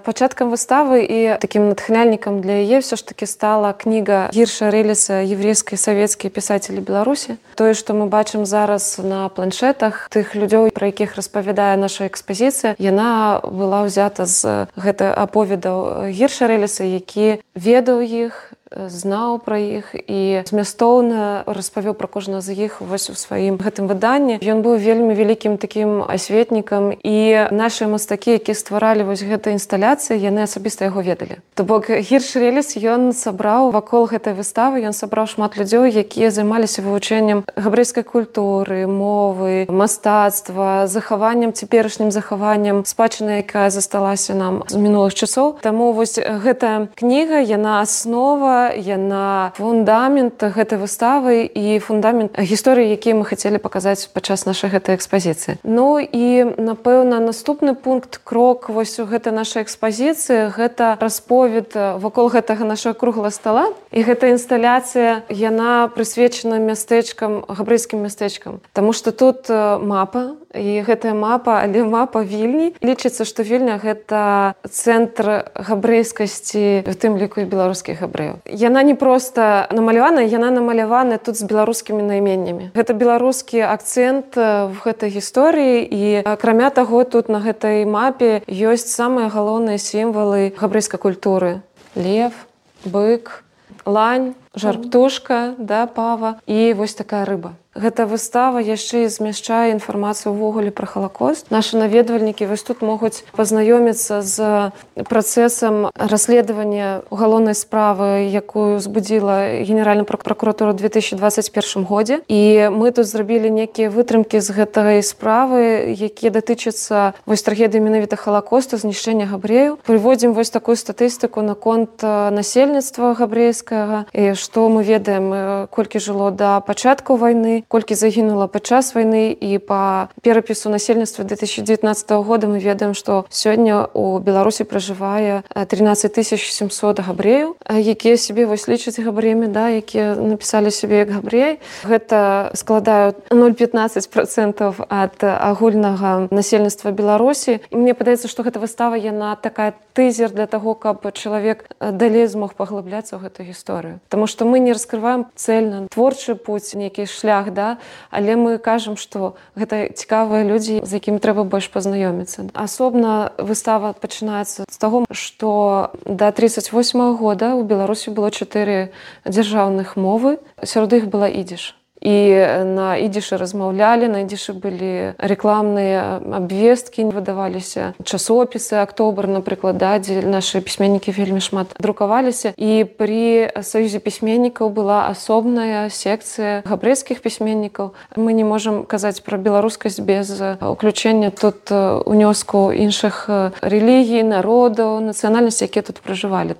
Пачаткам выставы і такім натхняльнікам для яе ўсё ж такі стала кніга Гірша Рэліса «Еврейскія савецкія пісацелі Беларусі». Тое, што мы бачым зараз на планшетах тых людзей, пра якіх распавядае наша экспазіцыя, яна была ўзята з гэта аповедаў Гірша Рэліса, які ведаў іх, знаў пра іх і змястоўна распавёў пра кожнага з іх вось у сваім гэтым выданні. Ён быў вельмі вялікім такім асветнікам, і нашы мастакі, якія стваралі вось гэтай інсталяцыі, яны асабіста яго ведалі. То бок Гірш Рэліс, ён сабраў вакол гэтай выставы, ён сабраў шмат людзей, якія займаліся вывучэннем габрэйскай культуры, мовы, мастацтва, захаваннем, цяперашнім захаваннем спадчыны, якая засталася нам з мінулых часоў. Таму вось гэтая кніга, яна аснова, яна фундамент гэтай выставы і фундамент гісторыі, якія мы хацелі паказаць падчас нашай гэтай экспазіцыі. Ну і, напэўна, наступны пункт, крок вось у гэтай нашай экспазіцыі, гэта расповед вакол гэтага нашага круглага стала. І гэта інсталяцыя, яна прысвечана мястэчкам, габрэйскім мястэчкам. Таму што тут мапа, і гэтая мапа, але мапа Вільні. Лічыцца, што Вільня – гэта цэнтр габрэйскасці, у тым ліку і беларускіх габрэяў. Яна не проста намалявана, яна намалявана тут з беларускімі найменнямі. Гэта беларускі акцэнт в гэтай гісторыі, і акрамя таго, тут на гэтай мапе ёсць самыя галоўныя сімвалы габрэйскай культуры. Лев, бык, лань, жар-птушка, да, пава і вось такая рыба. Гэта выстава яшчэ і змяшчае інфармацыю ўвогуле пра Халакост. Нашы наведвальнікі вось тут могуць пазнаёміцца з працэсам расследавання угалоўнай справы, якую узбудзіла Генеральная пракуратура ў 2021 годзе. І мы тут зрабілі некія вытрымкі з гэтай справы, якія датычацца вось трагедыі менавіта Халакосту, знішчэння габрэяў. Прыводзім вось такую статыстыку наконт насельніцтва габрэйскага, і што мы ведаем, колькі жыло да пачатку вайны, колькі загінула падчас вайны, і па перапісу насельніцтва 2019 года мы ведаем, што сёння у Беларусі пражывае 13 700 габрэяў, якія сябе вось лічаць габрэямі, да, якія напісалі сябе як габрэі. Гэта складаюць 0,15% ад агульнага насельніцтва Беларусі. І мне падаецца, што гэта выстава, яна такая тызер для таго, каб чалавек далей змог паглыбляцца ў гэту гісторыю. Таму што мы не раскрываем цэльна творчы путь, нейкі шлях, да? Але мы кажам, што гэта цікавыя людзі, з якімі трэба больш пазнаёміцца. Асобна выстава пачынаецца з таго, што да 1938 года ў Беларусі было 4 дзяржаўных мовы, сярод іх была ідзіш. І на ідзішы размаўлялі, на ідзішы былі рэкламныя абвесткі, выдаваліся часопісы, Актобр, напрыклад, да, дзе нашы пісьменнікі вельмі шмат друкаваліся. І пры Саюзе пісьменнікаў была асобная секцыя габрэйскіх пісьменнікаў. Мы не можам казаць пра беларускасць без уключэння тут унёску іншых рэлігій, народаў, нацыянальнасцей, якія тут пражывалі.